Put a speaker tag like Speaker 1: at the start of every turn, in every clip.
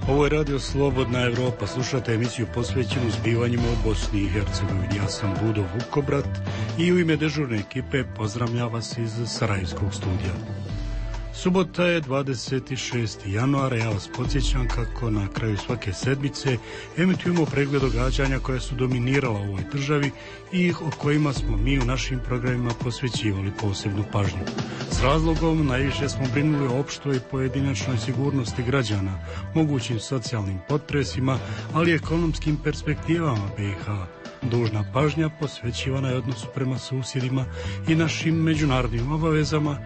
Speaker 1: Ovo je Radio Slobodna Evropa. Slušate emisiju posvećenu zbivanjima u Bosni i Hercegovini. Ja sam Budo Vukobrat i u ime dežurne ekipe pozdravljam vas iz Sarajevskog studija. Subota je 26. januara, ja vas podsjećam kako na kraju svake sedmice emitujemo pregled događanja koja su dominirala u ovoj državi i o kojima smo mi u našim programima posvećivali posebnu pažnju. S razlogom najviše smo brinuli o opštoj i pojedinačnoj sigurnosti građana, mogućim socijalnim potresima, ali i ekonomskim perspektivama BiH. Dužna pažnja posvećivana je odnosu prema susjedima i našim međunarodnim obavezama,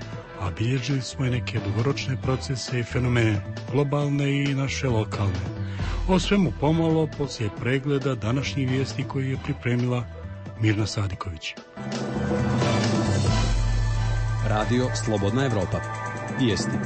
Speaker 1: a bilježili smo i neke dugoročne procese i fenomene, globalne i naše lokalne. O svemu pomalo poslije pregleda današnjih vijesti koji je pripremila Mirna Sadiković.
Speaker 2: Radio Slobodna Evropa. Vijesti.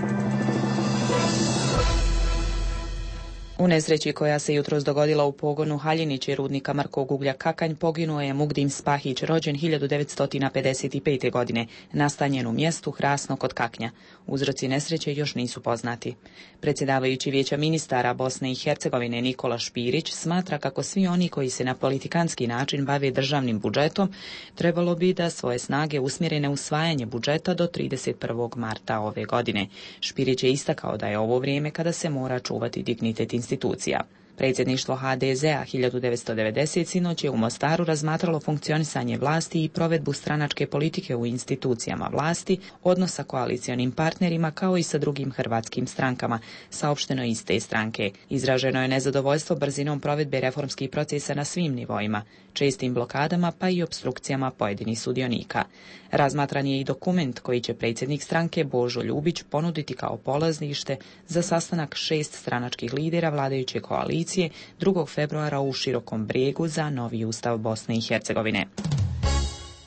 Speaker 3: U nesreći koja se jutros dogodila u pogonu Haljinići rudnika Markog uglja Kakanj poginuo je Mugdim Spahić, rođen 1955. godine, nastanjen u mjestu Hrasno kod Kaknja. Uzroci nesreće još nisu poznati. Predsjedavajući Vijeća ministara Bosne i Hercegovine Nikola Špirić smatra kako svi oni koji se na politikanski način bave državnim budžetom trebalo bi da svoje snage usmjere na usvajanje budžeta do 31. marta ove godine. Špirić je istakao da je ovo vrijeme kada se mora čuvati dignitet institucija. Predsjedništvo HDZ-a 1990 sinoć je u Mostaru razmatralo funkcionisanje vlasti i provedbu stranačke politike u institucijama vlasti, odnos sa koalicionim partnerima kao i sa drugim hrvatskim strankama, saopšteno iz te stranke. Izraženo je nezadovoljstvo brzinom provedbe reformskih procesa na svim nivoima, čestim blokadama pa i opstrukcijama pojedinih sudionika. Razmatran je i dokument koji će predsjednik stranke Božo Ljubić ponuditi kao polazište za sastanak 6 stranačkih lidera vladajuće koalicije 2. februara u Širokom Brijegu za novi ustav Bosne i Hercegovine.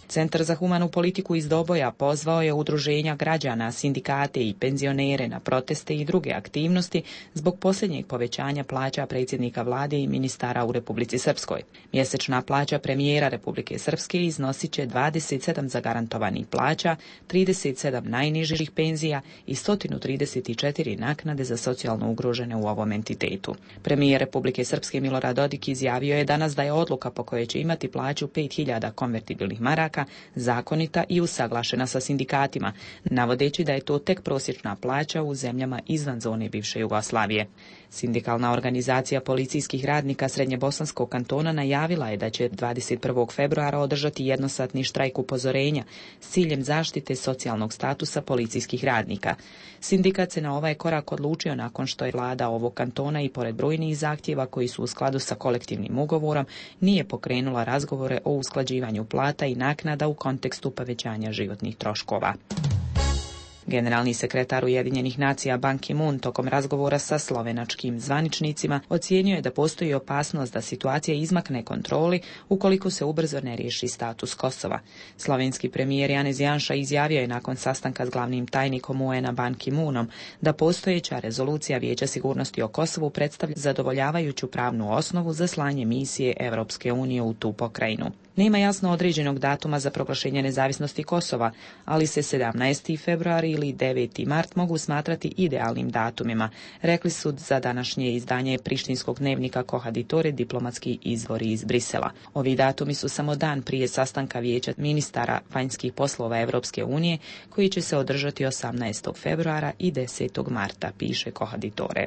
Speaker 3: Centar za humanu politiku iz Doboja pozvao je udruženja građana, sindikate i penzionere na proteste i druge aktivnosti zbog posljednjeg povećanja plaća predsjednika vlade i ministara u Republici Srpskoj. Mjesečna plaća premijera Republike Srpske iznosit će 27 zagarantovanih plaća, 37 najnižih penzija i 134 naknade za socijalno ugrožene u ovom entitetu. Premijer Republike Srpske Milorad Dodik izjavio je danas da je odluka po kojoj će imati plaću 5000 konvertibilnih maraka zakonita i usaglašena sa sindikatima, navodeći da je to tek prosječna plaća u zemljama izvan zone bivše Jugoslavije. Sindikalna organizacija policijskih radnika Srednjebosanskog kantona najavila je da će 21. februara održati jednosatni štrajk upozorenja s ciljem zaštite socijalnog statusa policijskih radnika. Sindikat se na ovaj korak odlučio nakon što je vlada ovog kantona i pored brojnih zahtjeva koji su u skladu sa kolektivnim ugovorom nije pokrenula razgovore o usklađivanju plata i naknada u kontekstu povećanja životnih troškova. Generalni sekretar Ujedinjenih nacija Ban Ki-moon tokom razgovora sa slovenačkim zvaničnicima ocijenio je da postoji opasnost da situacija izmakne kontroli ukoliko se ubrzo ne riješi status Kosova. Slovenski premijer Janez Janša izjavio je nakon sastanka s glavnim tajnikom UN-a Ban Ki-moonom da postojeća rezolucija Vijeća sigurnosti o Kosovu predstavlja zadovoljavajuću pravnu osnovu za slanje misije Europske unije u tu pokrajinu. Nema jasno određenog datuma za proglašenje nezavisnosti Kosova, ali se 17. februar ili 9. mart mogu smatrati idealnim datumima, rekli su za današnje izdanje prištinskog dnevnika Kohaditore diplomatski izvori iz Brisela. Ovi datumi su samo dan prije sastanka Vijeća ministara vanjskih poslova Europske unije, koji će se održati 18. februara i 10. marta, piše Kohaditore.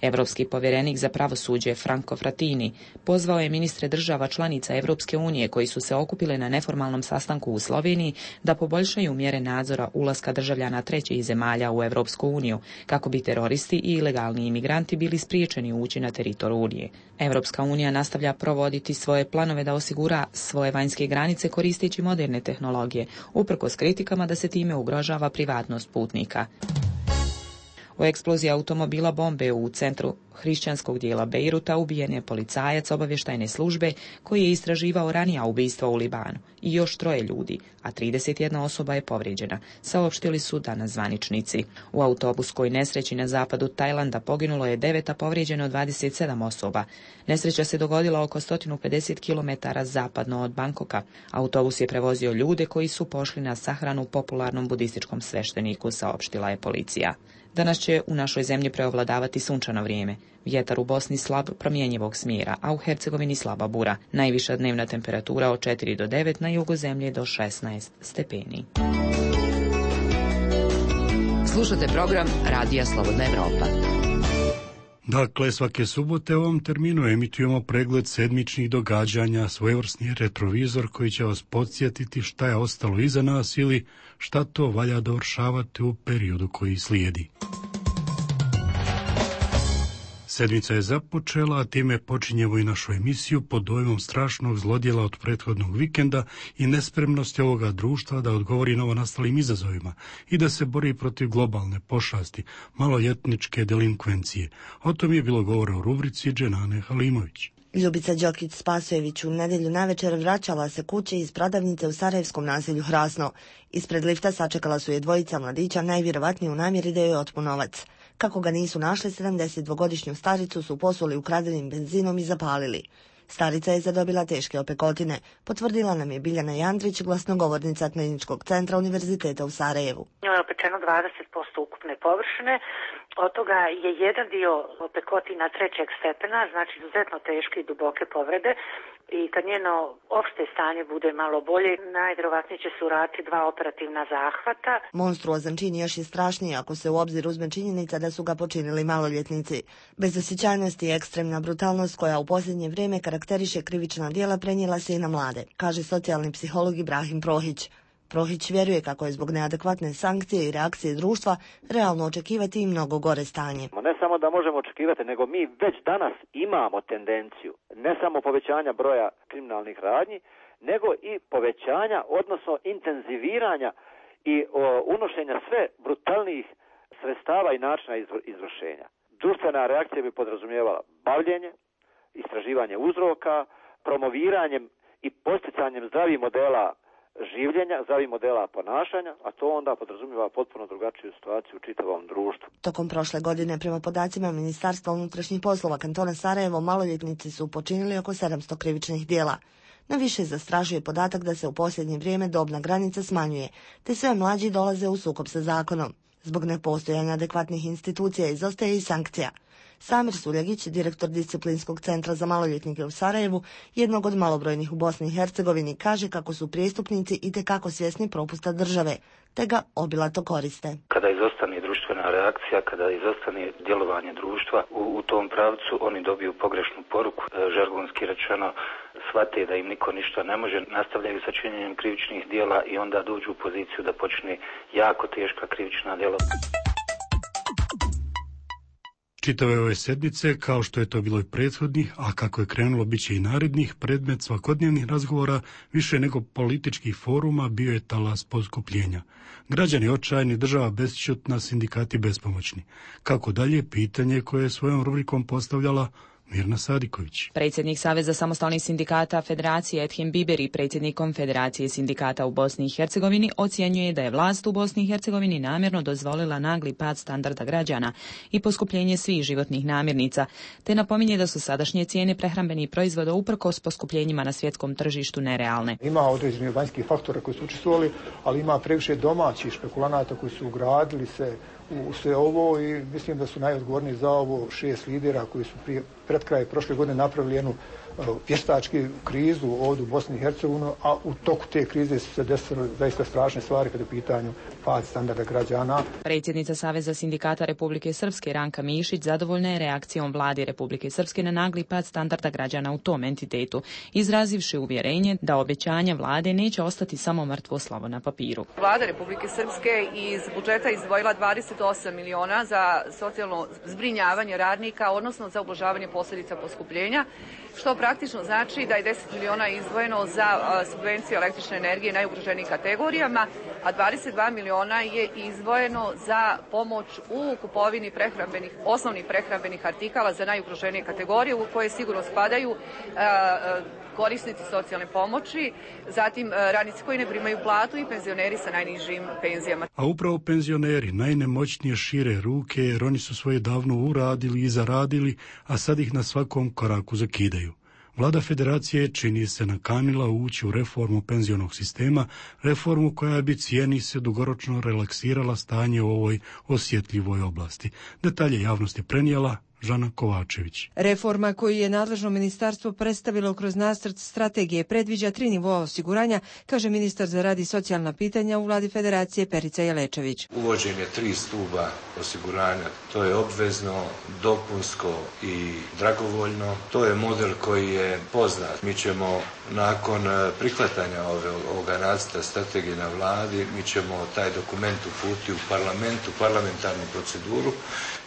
Speaker 3: Europski povjerenik za pravosuđe Franco Frattini pozvao je ministre država članica Europske unije koji su se okupile na neformalnom sastanku u Sloveniji da poboljšaju mjere nadzora ulaska državljana trećih zemalja u Europsku uniju kako bi teroristi i ilegalni imigranti bili spriječeni ući na teritoriju Unije. Europska unija nastavlja provoditi svoje planove da osigura svoje vanjske granice koristeći moderne tehnologije, uprkos kritikama da se time ugrožava privatnost putnika. U eksploziji automobila bombe u centru hrišćanskog dijela Bejruta ubijen je policajac obavještajne službe koji je istraživao ranija ubistva u Libanu i još 3 ljudi, a 31 osoba je povrijeđena, saopštili su danas zvaničnici. U autobuskoj nesreći na zapadu Tajlanda poginulo je 9, a povrijeđeno 27 osoba. Nesreća se dogodila oko 150 km zapadno od Bankoka. Autobus je prevozio ljude koji su pošli na sahranu popularnom budističkom svešteniku, saopštila je policija. Danas će u našoj zemlji preovladavati sunčano vrijeme. Vjetar u Bosni slab promjenjivog smjera, a u Hercegovini slaba bura. Najviša dnevna temperatura od 4 do 9, na jugu zemlje do 16 stepeni.
Speaker 4: Slušate program Radija Slobodna Evropa.
Speaker 1: Dakle, svake subote u ovom terminu emitujemo pregled sedmičnih događanja, svojevrsni retrovizor koji će vas podsjetiti šta je ostalo iza nas ili šta to valja dovršavati u periodu koji slijedi. Sedmica je započela, a time počinjemo i našu emisiju pod dojmom strašnog zlodjela od prethodnog vikenda i nespremnosti ovoga društva da odgovori novonastalim izazovima i da se bori protiv globalne pošasti, maloljetničke delinkvencije. O tom je bilo govora u rubrici Dženane Halimović.
Speaker 5: Ljubica Đokić-Spasojević u nedjelju navečer vraćala se kući iz prodavnice u sarajevskom naselju Hrasno. Ispred lifta sačekala su je dvojica mladića, najvjerovatnije u namjeri da joj otmu novac. Kako ga nisu našli, 72-godišnju staricu su posuli ukradenim benzinom i zapalili. Starica je zadobila teške opekotine, potvrdila nam je Biljana Jandrić, glasnogovornica Kliničkog centra Univerziteta u Sarajevu.
Speaker 6: Njoj je opečeno 20% ukupne površine, od toga je jedan dio opekotina trećeg stepena, znači izuzetno teške i duboke povrede, i kad njeno opšte stanje bude malo bolje, najvjerovatnije će se uraditi 2 operativna zahvata.
Speaker 5: Monstruozan čin još je strašniji ako se u obzir uzme činjenica da su ga počinili maloljetnici. Bezosjećajnost i ekstremna brutalnost koja u posljednje vrijeme karakteriše krivična djela prenijela se i na mlade, kaže socijalni psiholog Ibrahim Prohić. Prohić vjeruje kako je zbog neadekvatne sankcije i reakcije društva realno očekivati i mnogo gore stanje.
Speaker 7: Ne samo da možemo očekivati, nego mi već danas imamo tendenciju ne samo povećanja broja kriminalnih radnji, nego i povećanja, odnosno intenziviranja i unošenja sve brutalnijih sredstava i načina izvršenja. Društvena reakcija bi podrazumijevala bavljenje, istraživanje uzroka, promoviranjem i posticanjem zdravih modela življenja, zdravih modela ponašanja, a to onda podrazumijeva potpuno drugačiju situaciju u čitavom društvu.
Speaker 5: Tokom prošle godine, prema podacima Ministarstva unutrašnjih poslova kantona Sarajevo, maloljetnici su počinili oko 700 krivičnih djela. Najviše zastrašuje podatak da se u posljednje vrijeme dobna granica smanjuje, te sve mlađi dolaze u sukob sa zakonom. Zbog nepostojanja adekvatnih institucija izostaje i sankcija. Samir Suljagić, direktor Disciplinskog centra za maloljetnike u Sarajevu, jednog od malobrojnih u Bosni i Hercegovini, kaže kako su prijestupnici itekako svjesni propusta države, te ga obilato koriste.
Speaker 8: Kada izostane društvena reakcija, kada izostane djelovanje društva u tom pravcu, oni dobiju pogrešnu poruku, žargonski rečeno, shvate da im niko ništa ne može, nastavljaju sa činjenjem krivičnih djela i onda dođu u poziciju da počne jako teška krivična djela.
Speaker 1: Čitave ove sedmice, kao što je to bilo i prethodnih, a kako je krenulo bit će i narednih, predmet svakodnevnih razgovora, više nego političkih foruma, bio je talas poskupljenja. Građani očajni, država besćutna, sindikati bespomoćni. Kako dalje, pitanje koje je svojom rubrikom postavljala Mirna Sadiković.
Speaker 3: Predsjednik Saveza samostalnih sindikata Federacije Ethem Biberi, predsjednik Konfederacije sindikata u Bosni i Hercegovini, ocjenjuje da je vlast u Bosni i Hercegovini namjerno dozvolila nagli pad standarda građana i poskupljenje svih životnih namirnica, te napominje da su sadašnje cijene prehrambenih proizvoda uprkos poskupljenjima na svjetskom tržištu nerealne.
Speaker 9: Ima određenih vanjskih faktora koji su učestvovali, ali ima previše domaćih špekulanata koji su ugradili se u sve ovo i mislim da su najodgovorniji za ovo 6 lidera koji su pred kraj prošle godine napravili jednu vještačku krizu ovdje u Bosni i Hercegovini, a u toku te krize su se desile zaista strašne stvari kada je u pitanju pad standarda građana.
Speaker 3: Predsjednica Saveza sindikata Republike Srpske Ranka Mišić zadovoljna je reakcijom vlade Republike Srpske na nagli pad standarda građana u tom entitetu, izrazivši uvjerenje da obećanja vlade neće ostati samo mrtvo slovo na papiru.
Speaker 10: Vlada Republike Srpske iz budžeta izdvojila 28 miliona za socijalno zbrinjavanje radnika, odnosno za ublažavanje posljedica poskupljenja, što praktično znači da je 10 miliona izdvojeno za subvenciju električne energije najugroženijim kategorijama, a 22 miliona je izdvojeno za pomoć u kupovini osnovnih prehrambenih artikala za najugroženije kategorije, u koje sigurno spadaju korisnici socijalne pomoći, zatim radnici koji ne primaju platu i penzioneri sa najnižim penzijama.
Speaker 1: A upravo penzioneri najnemoćnije šire ruke jer oni su svoje davno uradili i zaradili, a sad ih na svakom koraku zakidaju. Vlada federacije čini se nakanila ući u reformu penzionog sistema, reformu koja bi, cijeni se, dugoročno relaksirala stanje u ovoj osjetljivoj oblasti. Detalje javnosti prenijela Žana Kovačević.
Speaker 11: Reforma koju je nadležno ministarstvo predstavilo kroz nacrt strategije predviđa 3 nivoa osiguranja, kaže ministar za rad i socijalna pitanja u Vladi federacije Perica Jelečević.
Speaker 12: Uvođenje 3 stuba osiguranja, to je obvezno, dopunsko i dragovoljno. To je model koji je poznat. Mi ćemo nakon prihvatanja ovoga nacrta strategije na Vladi, mi ćemo taj dokument uputiti u parlamentarnu proceduru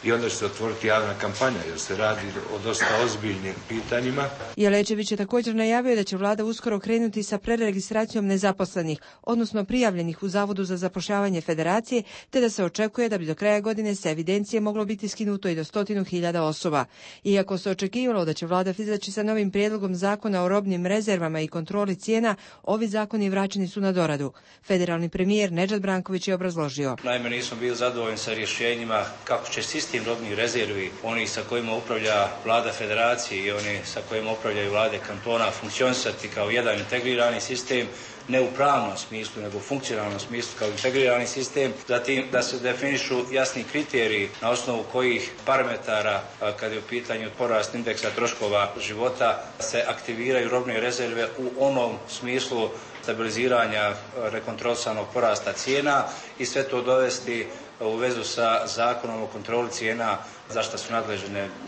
Speaker 12: i onda će se otvoriti javna kampanja, jer se radi o dosta ozbiljnim pitanjima.
Speaker 11: Jelečević je također najavio da će Vlada uskoro krenuti sa preregistracijom nezaposlenih, odnosno prijavljenih u Zavodu za zapošljavanje federacije, te da se očekuje da bi do kraja godine sa evidencije moglo biti skinuto i do 100.000 osoba. Iako se očekivalo da će Vlada izaći sa novim prijedlogom zakona o robnim rezervama i kontroli cijena, ovi zakoni vraćeni su na doradu. Federalni premijer Nedžad Branković je obrazložio.
Speaker 13: Naime, nismo bili zadovoljni sa rješenjima kako će sistem robnih rezervi, oni sa kojima upravlja Vlada federacije i oni sa kojima upravljaju vlade kantona, funkcionisati kao jedan integrirani sistem, ne u pravnom smislu, nego u funkcionalnom smislu kao integrirani sistem. Zatim da se definišu jasni kriteriji na osnovu kojih parametara, kad je u pitanju porast indeksa troškova života, se aktiviraju robne rezerve u onom smislu stabiliziranja rekontrolisanog porasta cijena i sve to dovesti u vezu sa zakonom o kontroli cijena, za što su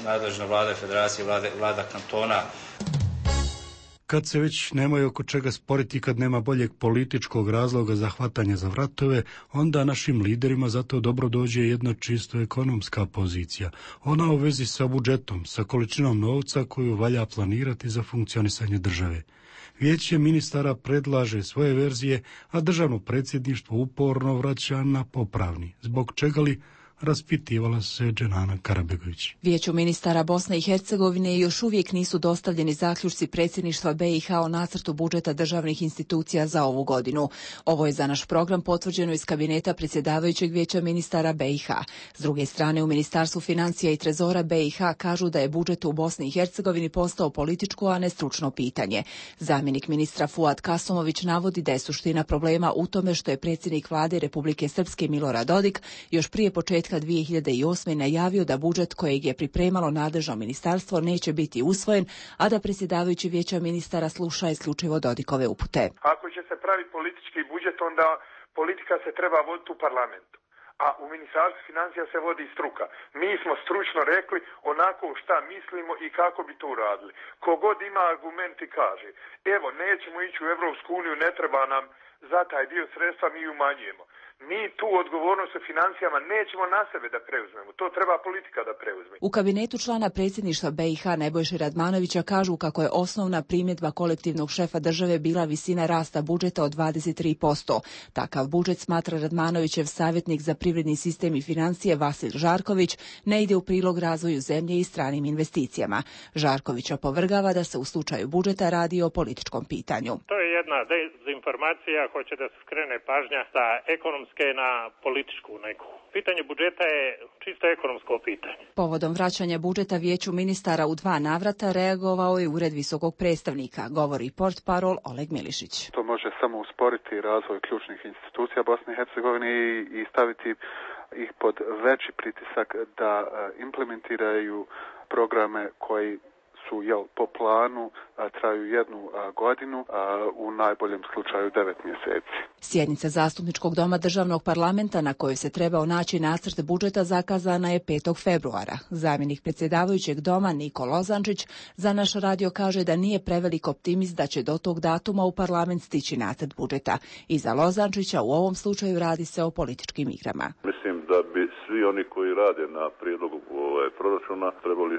Speaker 13: nadležne vlade federacije, vlada kantona.
Speaker 1: Kad se već nemaju oko čega sporiti, kad nema boljeg političkog razloga za hvatanje za vratove, onda našim liderima zato dobro dođe jedna čisto ekonomska pozicija. Ona u vezi sa budžetom, sa količinom novca koju valja planirati za funkcionisanje države. Vijeće ministara predlaže svoje verzije, a državno predsjedništvo uporno vraća na popravni. Zbog čega li? Raspitivala se Dženana Karabegović.
Speaker 3: Vijeću ministara Bosne i Hercegovine još uvijek nisu dostavljeni zaključci predsjedništva BiH o nacrtu budžeta državnih institucija za ovu godinu. Ovo je za naš program potvrđeno iz kabineta predsjedavajućeg Vijeća ministara BiH. S druge strane, u Ministarstvu financija i trezora BiH kažu da je budžet u Bosni i Hercegovini postao političko, a ne stručno pitanje. Zamjenik ministra Fuad Kasomović navodi da je suština problema u tome što je predsjednik vlade Republike Srpske Milorad Dodik još prije početka 2008. najavio da budžet kojeg je pripremalo nadležno ministarstvo neće biti usvojen, a da predsjedavajući Vijeća ministara sluša isključivo Dodikove upute.
Speaker 14: Ako će se praviti politički budžet, onda politika se treba voditi u parlamentu. A u Ministarstvu financija se vodi struka. Mi smo stručno rekli onako šta mislimo i kako bi to uradili. Kogod ima argumenti kaže, evo nećemo ići u Evropsku uniju, ne treba nam za taj dio sredstva, mi umanjujemo. Mi tu odgovornost u financijama nećemo na sebe da preuzmemo. To treba politika da preuzme.
Speaker 3: U kabinetu člana predsjedništva BiH Nebojše Radmanovića kažu kako je osnovna primjedba kolektivnog šefa države bila visina rasta budžeta od 23%. Takav budžet, smatra Radmanovićev savjetnik za privredni sistem i financije Vasil Žarković, ne ide u prilog razvoju zemlje i stranim investicijama. Žarković opovrgava da se u slučaju budžeta radi o političkom pitanju.
Speaker 15: To je jedna dezinformacija, hoće da se skrene pažnja sa ekonomske na političku neku. Pitanje budžeta je čisto ekonomsko pitanje.
Speaker 3: Povodom vraćanja budžeta Vijeću ministara u 2 navrata reagovao je Ured visokog predstavnika, govori portparol Oleg Milišić.
Speaker 16: To može samo usporiti razvoj ključnih institucija Bosne i Hercegovine i staviti ih pod veći pritisak da implementiraju programe koji su po planu traju 1 godinu, u najboljem slučaju 9 mjeseci.
Speaker 3: Sjednica Zastupničkog doma državnog parlamenta na kojoj se trebao naći nacrt budžeta zakazana je 5. februara. Zamjenik predsjedavajućeg doma Niko Lozančić za naš radio kaže da nije prevelik optimist da će do tog datuma u parlament stići nacrt budžeta. I za Lozančića u ovom slučaju radi se o političkim igrama.
Speaker 17: Mislim da bi svi oni koji rade na prijedlogu proračuna trebali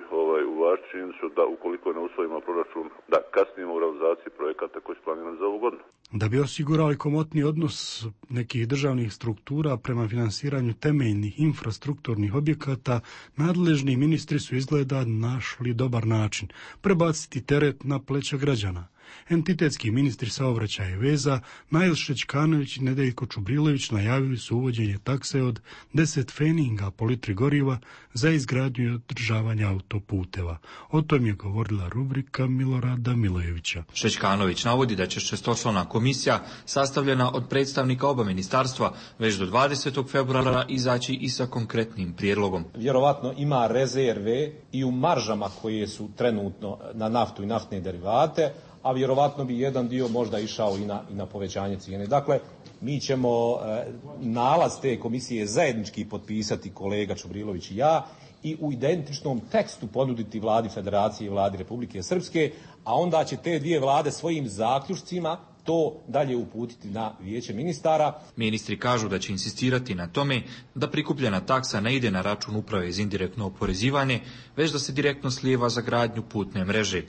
Speaker 17: uvažiti činjenicu da ukoliko ne usvojimo proračun, da kasnimo u realizaciji projekata koji su planirani za ovu godinu.
Speaker 1: Da bi osigurali komotni odnos nekih državnih struktura prema finansiranju temeljnih infrastrukturnih objekata, nadležni ministri su izgleda našli dobar način prebaciti teret na pleća građana. Entitetski ministri saobraćaja i veza Nail Šćekanović i Nedeljko Čubrilović najavili su uvođenje takse od 10 pfeninga po litri goriva za izgradnju i održavanje autoputeva. O tom je govorila rubrika Milorada Milojevića.
Speaker 18: Šćekanović navodi da će šestočlana komisija sastavljena od predstavnika oba ministarstva već do 20. februara izaći i sa konkretnim prijedlogom.
Speaker 19: Vjerovatno ima rezerve i u maržama koje su trenutno na naftu i naftne derivate, a vjerovatno bi jedan dio možda išao i na povećanje cijene. Dakle, mi ćemo nalaz te komisije zajednički potpisati kolega Čubrilović i ja i u identičnom tekstu ponuditi vladi Federacije i vladi Republike Srpske, a onda će te dvije vlade svojim zaključcima to dalje uputiti na vijeće ministara.
Speaker 18: Ministri kažu da će insistirati na tome da prikupljena taksa ne ide na račun uprave za indirektno oporezivanje, već da se direktno slijeva za gradnju putne mreže.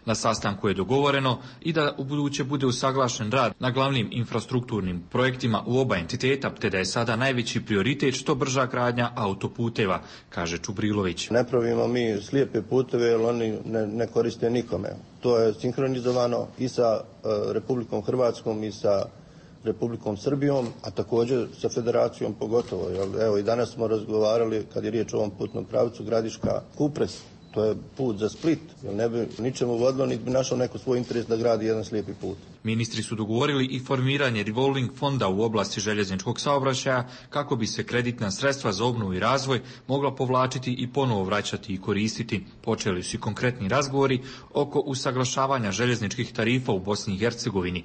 Speaker 18: Na sastanku je dogovoreno i da ubuduće bude usaglašen rad na glavnim infrastrukturnim projektima u oba entiteta, te da je sada najveći prioritet što brža gradnja autoputeva, kaže Čubrilović.
Speaker 20: Ne pravimo mi slijepe puteve jer oni ne koriste nikome. To je sinhronizovano i sa Republikom Hrvatskom i sa Republikom Srbijom, a također sa Federacijom pogotovo. Evo i danas smo razgovarali kad je riječ o ovom putnom pravcu Gradiška-Kupres. To je put za Split, jer ne bi ničemu vodilo, niti bi našao neko svoj interes da gradi jedan slijepi put.
Speaker 18: Ministri su dogovorili i formiranje revolving fonda u oblasti željezničkog saobraćaja kako bi se kreditna sredstva za obnovu i razvoj mogla povlačiti i ponovo vraćati i koristiti. Počeli su i konkretni razgovori oko usaglašavanja željezničkih tarifa u Bosni i Hercegovini.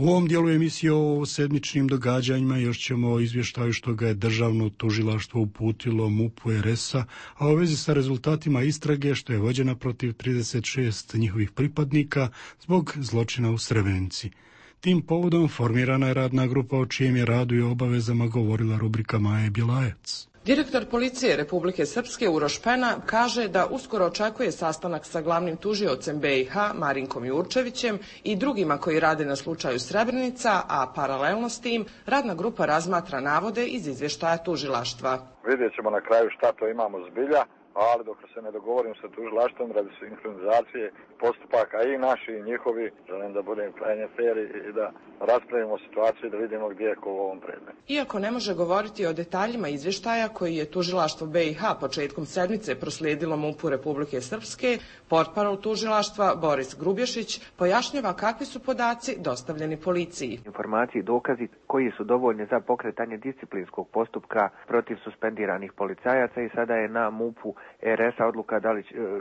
Speaker 1: U ovom dijelu emisije o sedmičnim događanjima još ćemo o izvještaju što ga je državno tužilaštvo uputilo MUP-u RS-a, a u vezi sa rezultatima istrage što je vođena protiv 36 njihovih pripadnika zbog zločina u Srebrenici. Tim povodom formirana je radna grupa o čijem je radu i obavezama govorila rubrika Maje Bjelajac.
Speaker 21: Direktor policije Republike Srpske Uroš Pena kaže da uskoro očekuje sastanak sa glavnim tužiocem BiH Marinkom Jurčevićem i drugima koji rade na slučaju Srebrenica, a paralelno s tim radna grupa razmatra navode iz izvještaja tužilaštva.
Speaker 22: Vidjet ćemo na kraju šta to imamo zbilja, ali dok se ne dogovorim sa tužilaštvom radi sinhronizacije postupaka i naši i njihovi, želim da budem krajnje fer i da raspravimo situaciju i da vidimo gdje je ko u ovom predmetu.
Speaker 21: Iako ne može govoriti o detaljima izvještaja koji je tužilaštvo BiH početkom sedmice proslijedilo MUP-u Republike Srpske, portparol tužilaštva Boris Grubješić pojašnjava kakvi su podaci dostavljeni policiji.
Speaker 23: Informacije i dokazi koji su dovoljni za pokretanje disciplinskog postupka protiv suspendiranih policajaca i sada je na MUP-u RS-a odluka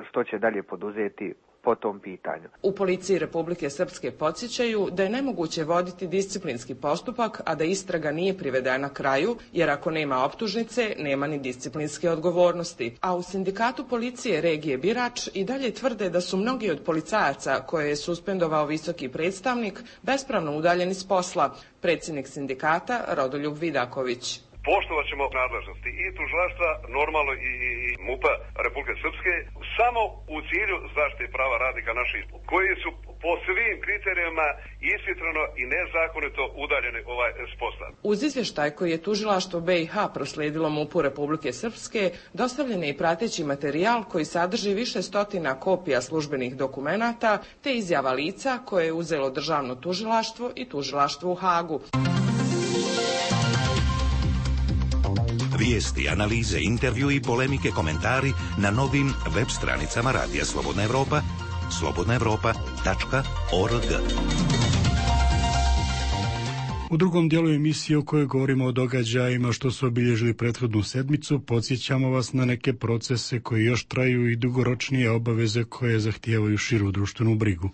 Speaker 23: što će dalje poduzeti po tom pitanju.
Speaker 21: U policiji Republike Srpske podsjećaju da je nemoguće voditi disciplinski postupak, a da istraga nije privedena kraju, jer ako nema optužnice, nema ni disciplinske odgovornosti. A u sindikatu policije regije Birač i dalje tvrde da su mnogi od policajaca koje je suspendovao visoki predstavnik bespravno udaljeni s posla. Predsjednik sindikata Rodoljub Vidaković.
Speaker 24: Poštovat ćemo nadležnosti i tužilaštva, normalno i MUP-a Republike Srpske, samo u cilju zaštite prava radnika naših, koji su po svim kriterijima ishitreno i nezakonito udaljeni s posla.
Speaker 21: Uz izvještaj koji je tužilaštvo BiH proslijedilo MUP-u Republike Srpske, dostavljen je i prateći materijal koji sadrži više stotina kopija službenih dokumenata te izjava lica koje je uzelo državno tužilaštvo i tužilaštvo u Hagu.
Speaker 25: Vijesti, analize, intervju i polemike, komentari na novim web stranicama Radija Slobodna Evropa, slobodnaevropa.org.
Speaker 1: U drugom dijelu emisije u kojoj govorimo o događajima što su obilježili prethodnu sedmicu, podsjećamo vas na neke procese koji još traju i dugoročnije obaveze koje zahtijevaju širu društvenu brigu.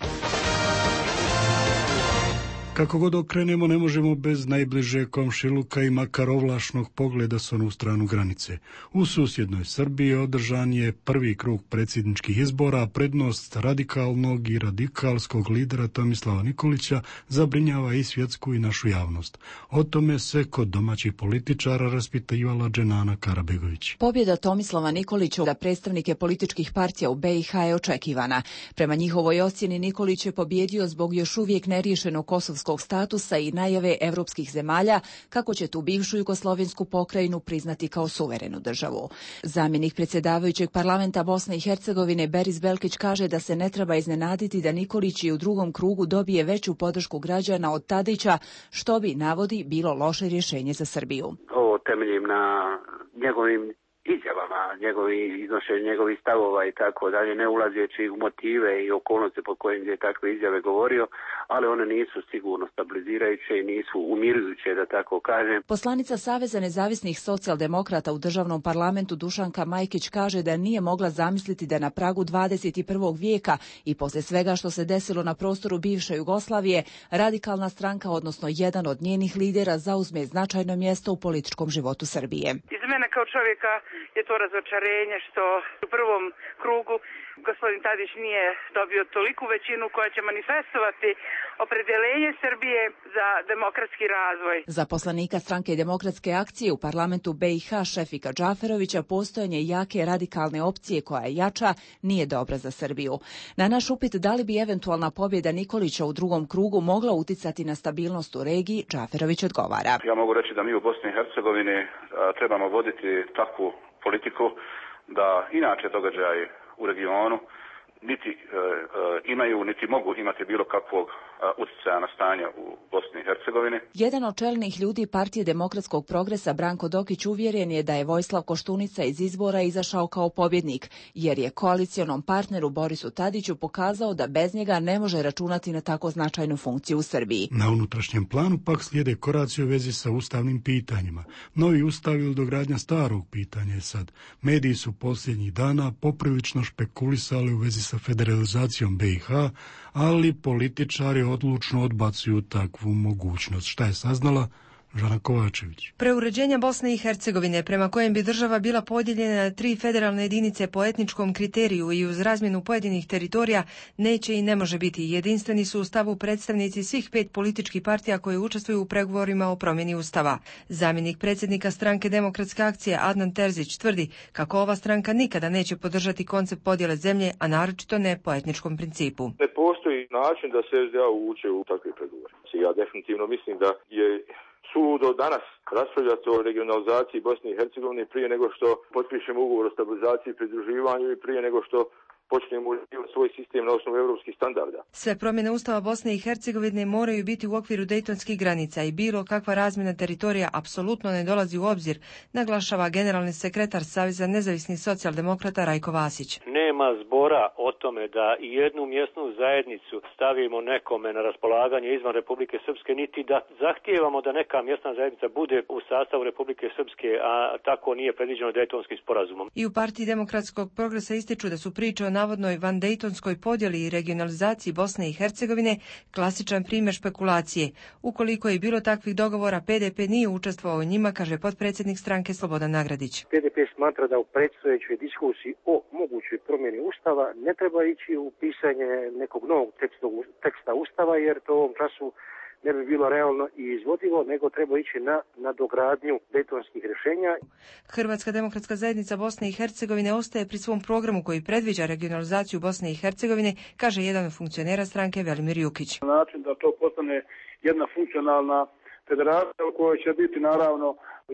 Speaker 1: Kako god okrenemo, ne možemo bez najbliže komšiluka i makar ovlašnog pogleda s onu stranu granice. U susjednoj Srbiji održan je prvi krug predsjedničkih izbora, prednost radikalnog i radikalskog lidera Tomislava Nikolića zabrinjava i svjetsku i našu javnost. O tome se kod domaćih političara raspitivala Dženana Karabegović.
Speaker 2: Pobjeda Tomislava Nikolića da predstavnike političkih partija u BiH je očekivana. Prema njihovoj ocjeni Nikolić je pobjedio zbog još uvijek neriješenog kosovskog statusa i najave evropskih zemalja kako će tu bivšu jugoslovensku pokrajinu priznati kao suverenu državu. Zamjenik predsjedavajućeg parlamenta Bosne i Hercegovine Beris Belkić kaže da se ne treba iznenaditi da Nikolić i u drugom krugu dobije veću podršku građana od Tadića, što bi, navodi, bilo loše rješenje za Srbiju.
Speaker 4: Ovo temeljim na njegovim izjavama, iznošenje njegovih stavova i tako dalje, ne ulazeći u motive i okolnosti po kojim je takve izjave govorio, ali one nisu sigurno stabilizirajuće i nisu umirujuće, da tako kažem.
Speaker 2: Poslanica Saveza nezavisnih socijaldemokrata u državnom parlamentu Dušanka Majkić kaže da nije mogla zamisliti da na pragu 21. vijeka i poslije svega što se desilo na prostoru bivše Jugoslavije, radikalna stranka, odnosno jedan od njenih lidera, zauzme značajno mjesto u političkom životu Srbije.
Speaker 5: Iz mene kao čovjeka je to razočarenje što u prvom krugu gospodin Tadić nije dobio toliku većinu koja će manifestovati opredjeljenje Srbije za demokratski razvoj.
Speaker 2: Za poslanika stranke Demokratske akcije u parlamentu BiH Šefika Džaferovića postojanje jake radikalne opcije koja je jača nije dobra za Srbiju. Na naš upit da li bi eventualna pobjeda Nikolića u drugom krugu mogla uticati na stabilnost u regiji, Džaferović odgovara.
Speaker 17: Ja mogu reći da mi u Bosni i Hercegovini trebamo voditi takvu politiku da inače događaji u regionu niti imaju, niti mogu imati bilo kakvog utjecaja na stanje u Bosni i Hercegovini.
Speaker 2: Jedan od čelnih ljudi Partije demokratskog progresa Branko Dokić uvjeren je da je Vojislav Koštunica iz izbora izašao kao pobjednik, jer je koalicionom partneru Borisu Tadiću pokazao da bez njega ne može računati na tako značajnu funkciju u Srbiji.
Speaker 1: Na unutrašnjem planu pak slijede koraci u vezi sa ustavnim pitanjima. Novi ustav ili dogradnja starog pitanja je sad. Mediji su posljednjih dana poprilično špekulisali u vezi sa federalizacijom BiH, ali političari odlučno odbacuju takvu mogućnost. Šta je saznala Žana Kovačević?
Speaker 11: Preuređenje Bosne i Hercegovine, prema kojem bi država bila podijeljena na 3 federalne jedinice po etničkom kriteriju i uz razmjenu pojedinih teritorija, neće i ne može biti. Jedinstveni su u stavu predstavnici svih 5 političkih partija koje učestvuju u pregovorima o promjeni ustava. Zamjenik predsjednika stranke Demokratske akcije Adnan Terzić tvrdi kako ova stranka nikada neće podržati koncept podjele zemlje, a naročito ne po etničkom principu.
Speaker 6: Ne postoji način da se SDA uvuče u takve pregovore. Ja definitivno mislim da je suludo danas raspravljati o regionalizaciji Bosne i Hercegovine prije nego što potpišemo ugovor o stabilizaciji i pridruživanju i prije nego što počnemo uređivati svoj sistem na osnovu europskih standarda.
Speaker 11: Sve promjene Ustava Bosne i Hercegovine moraju biti u okviru dejtonskih granica i bilo kakva razmjena teritorija apsolutno ne dolazi u obzir, naglašava generalni sekretar Saveza nezavisnih socijaldemokrata Rajko Vasić.
Speaker 7: Nema zbora o tome da i jednu mjesnu zajednicu stavimo nekome na raspolaganje izvan Republike Srpske, niti da zahtijevamo da neka mjesna zajednica bude u sastavu Republike Srpske, a tako nije predviđeno dejtonskim sporazumom.
Speaker 11: I u Partiji demokratskog progresa ističu da su priče o navodnoj vandejtonskoj podjeli i regionalizaciji Bosne i Hercegovine klasičan primjer špekulacije. Ukoliko je bilo takvih dogovora, PDP nije učestvovao u njima, kaže potpredsjednik stranke Slobodan Nagradić.
Speaker 26: PDP smatra da u predstojećoj diskusiji o mogućoj promjeni Ustava ne treba ići u pisanje nekog novog teksta Ustava, jer to u ovom času ne bi bilo realno i izvodivo, nego treba ići na nadogradnju dejtonskih rješenja.
Speaker 11: Hrvatska demokratska zajednica Bosne i Hercegovine ostaje pri svom programu koji predviđa regionalizaciju Bosne i Hercegovine, kaže jedan od funkcionera stranke Velimir Jukić.
Speaker 14: Na način da to postane jedna funkcionalna federacija u kojoj će biti naravno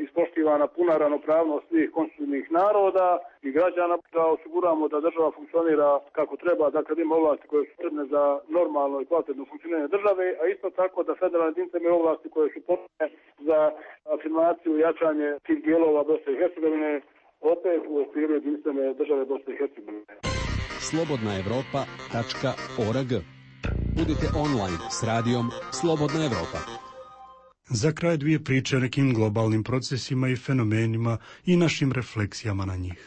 Speaker 14: ispoštivana puna ravnopravnost svih konstitutivnih naroda i građana, da osiguramo da država funkcionira kako treba, dakle ima ovlasti koje su potrebne za normalno i kvalitetno funkcioniranje države, a isto tako da federalne jedinice imaju ovlasti koje su potrebne za afirmaciju i jačanje tih dijelova Bosne i Hercegovine, opet u okviru jedinstvene države Bosne i Hercegovine.
Speaker 27: slobodnaevropa.org. Budite online s radijom Slobodna Evropa.
Speaker 1: Za kraj 2 priče o nekim globalnim procesima i fenomenima i našim refleksijama na njih.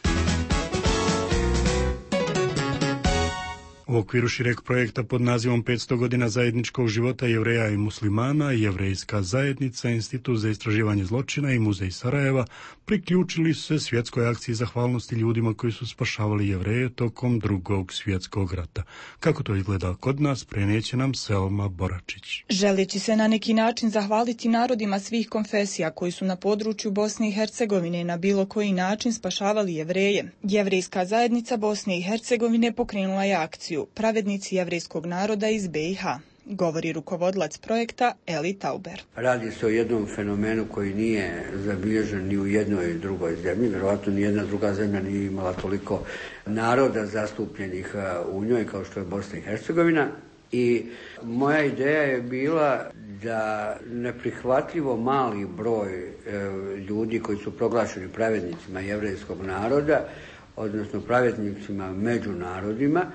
Speaker 1: U okviru šireg projekta pod nazivom 500 godina zajedničkog života Jevreja i muslimana, Jevrejska zajednica, Institut za istraživanje zločina i Muzej Sarajeva priključili su se svjetskoj akciji zahvalnosti ljudima koji su spašavali Jevreje tokom Drugog svjetskog rata. Kako to izgleda kod nas, prenijeće nam Selma Boračić.
Speaker 8: Želeći se na neki način zahvaliti narodima svih konfesija koji su na području Bosne i Hercegovine na bilo koji način spašavali Jevreje, Jevrejska zajednica Bosne i Hercegovine pokrenula je akciju Pravednici jevrejskog naroda iz BiH, govori rukovodilac projekta Eli Tauber.
Speaker 9: Radi se o jednom fenomenu koji nije zabilježen ni u jednoj drugoj zemlji. Vjerovatno ni jedna druga zemlja nije imala toliko naroda zastupljenih u njoj kao što je Bosna i Hercegovina. I moja ideja je bila da neprihvatljivo mali broj ljudi koji su proglašeni pravednicima jevrejskog naroda, odnosno pravednicima među narodima,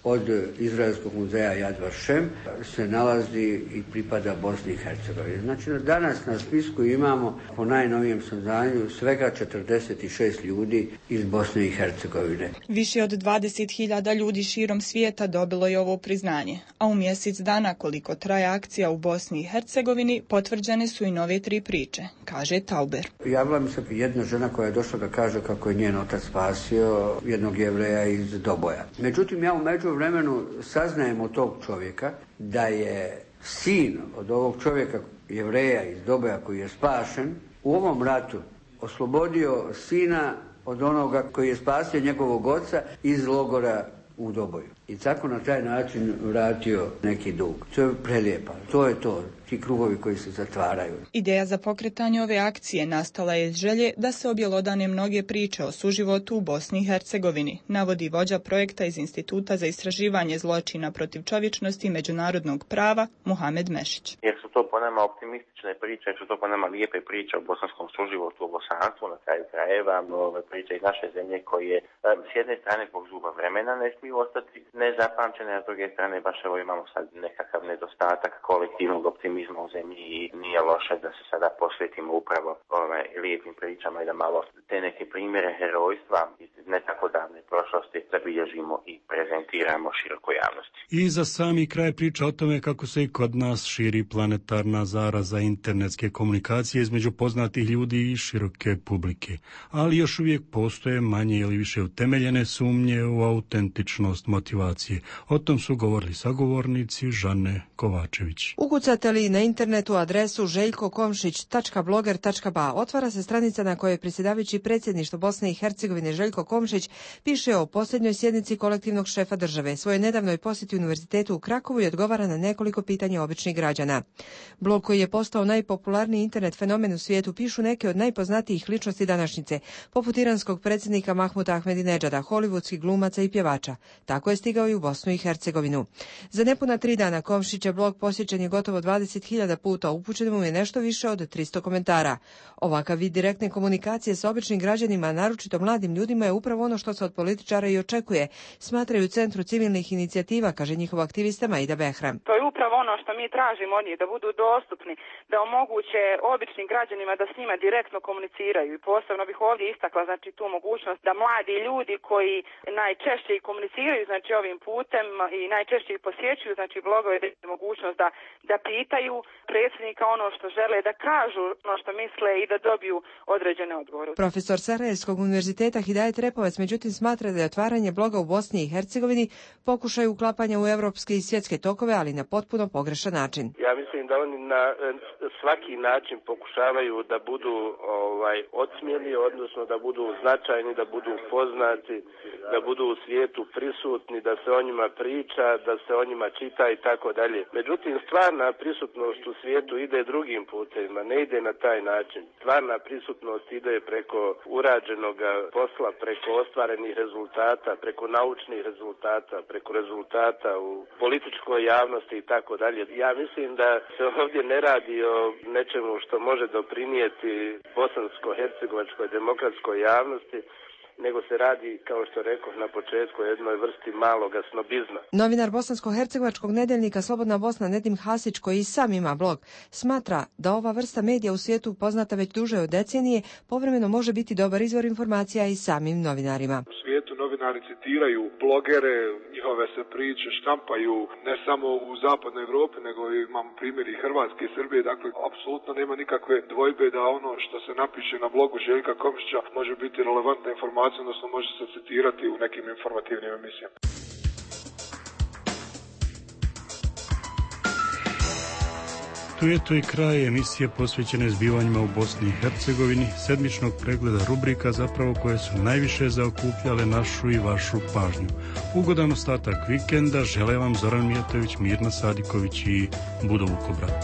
Speaker 9: od Izraelskog muzeja Yad Vashem se nalazi i pripada Bosni i Hercegovini. Znači, danas na spisku imamo, po najnovijem saznanju, svega 46 ljudi iz Bosne i Hercegovine.
Speaker 8: Više od 20.000 ljudi širom svijeta dobilo je ovo priznanje, a u mjesec dana koliko traje akcija u Bosni i Hercegovini potvrđene su i nove 3 priče, kaže Tauber.
Speaker 9: Javila mi se jedna žena koja je došla da kaže kako je njen otac spasio jednog Jevreja iz Doboja. Međutim, ja u međuvremenu saznajem od tog čovjeka da je sin od ovog čovjeka Jevreja iz Doboja koji je spašen u ovom ratu oslobodio sina od onoga koji je spasio njegovog oca iz logora u Doboju. I tako na taj način vratio neki dug. To je prelijepo. To je to, ti krugovi koji se zatvaraju.
Speaker 8: Ideja za pokretanje ove akcije nastala je iz želje da se objelodane mnoge priče o suživotu u Bosni i Hercegovini, navodi vođa projekta iz Instituta za istraživanje zločina protiv čovječnosti i međunarodnog prava Muhamed Mešić.
Speaker 10: Jer su to po nama optimistične priče, jer su to po nama lijepe priče o bosanskom suživotu, o bosanstvu na kraju krajeva, priče iz naše zemlje koje s jedne strane zbog zuba vremena ne smiju ostati nezapamćene, a s druge strane baš evo imamo sad nekakav nedostatak kolektivnog optimizma u zemlji i nije loše da se sada posvetimo upravo lijepim pričama i da malo te neke primjere herojstva iz ne tako davne prošlosti zabilježimo i prezentiramo širokoj javnosti.
Speaker 1: I za sami kraj priča o tome kako se i kod nas širi planetarna zaraza internetske komunikacije između poznatih ljudi i široke publike, ali još uvijek postoje manje ili više utemeljene sumnje u autentičnost motivacije. O tom su govorili sagovornici Žane Kovačević.
Speaker 11: Ukucate li na internetu adresu željkokomšić.bloger.ba otvara se stranica na kojoj predsjedavajući predsjedništvo Bosne i Hercegovine Željko Komšić piše o posljednjoj sjednici kolektivnog šefa države, svojoj nedavnoj posjeti univerzitetu u Krakovu i odgovara na nekoliko pitanja običnih građana. Blog koji je postao najpopularniji internet fenomen u svijetu pišu neke od najpoznatijih ličnosti današnjice, poput iranskog predsjednika Mahmuda Ahmedinedžada, hollywoodskih glumaca i pjevača. Tako je stigao i u Bosnu i Hercegovinu. Za nepuna 3 dana Komšićev blog posjećen je gotovo 20.000 puta, upućeno mu je nešto više od 300 komentara. Ovakav vid direktne komunikacije sa običnim građanima, naročito mladim ljudima, je upravo ono što se od političara i očekuje, smatraju u Centru civilnih inicijativa, kaže njihov aktivista Maida Behram.
Speaker 5: To je upravo ono što mi tražimo od njih, da budu dostupni, da omoguće običnim građanima da s njima direktno komuniciraju. I posebno bih ovdje istakla znači tu mogućnost da mladi ljudi koji najčešće i komuniciraju znači ovim putem i najčešće ih posjećuju znači blogove, da je mogućnost da pitaju predsjednika ono što žele, da kažu ono što misle i da dobiju određene odgovore.
Speaker 11: Profesor Sarajevskog univerziteta Hidajet Repovac međutim smatra da je otvaranje bloga u Bosni i Hercegovini pokušaj uklapanja u evropske i svjetske tokove, ali na potpuno pogrešan način.
Speaker 12: Ja mislim da oni na svaki način pokušavaju da budu odsmjeli, odnosno da budu značajni, da budu poznati, da budu u svijetu prisutni, da se o njima priča, da se o njima čita i tako dalje. Međutim, stvarna prisutnost u svijetu ide drugim putevima, ne ide na taj način. Stvarna prisutnost ide preko urađenog posla, preko ostvarenih rezultata, preko naučnih rezultata, preko rezultata u političkoj javnosti i tako dalje. Ja mislim da se ovdje ne radi o nečemu što može doprinijeti bosansko-hercegovačkoj demokratskoj javnosti, nego se radi, kao što rekoh na početku, o jednoj vrsti maloga snobizma.
Speaker 11: Novinar bosansko-hercegovačkog nedeljnika Slobodna Bosna Nedim Hasić, koji i sam ima blog, smatra da ova vrsta medija u svijetu poznata već duže od decenije, povremeno može biti dobar izvor informacija i samim novinarima.
Speaker 3: U svijetu novinari citiraju blogere, njihove se priče štampaju ne samo u zapadnoj Evropi, nego imamo primjer i Hrvatske i Srbije, dakle apsolutno nema nikakve dvojbe da ono što se napiše na blogu Željka Komšića može biti relevantna informacija, odnosno može se citirati u nekim informativnim emisijama.
Speaker 1: Tu je to i kraj emisije posvećene zbivanjima u Bosni i Hercegovini, sedmičnog pregleda rubrika zapravo koje su najviše zaokupljale našu i vašu pažnju. Ugodan ostatak vikenda žele vam Zoran Mijatović, Mirna Sadiković i Budo Vukobrat.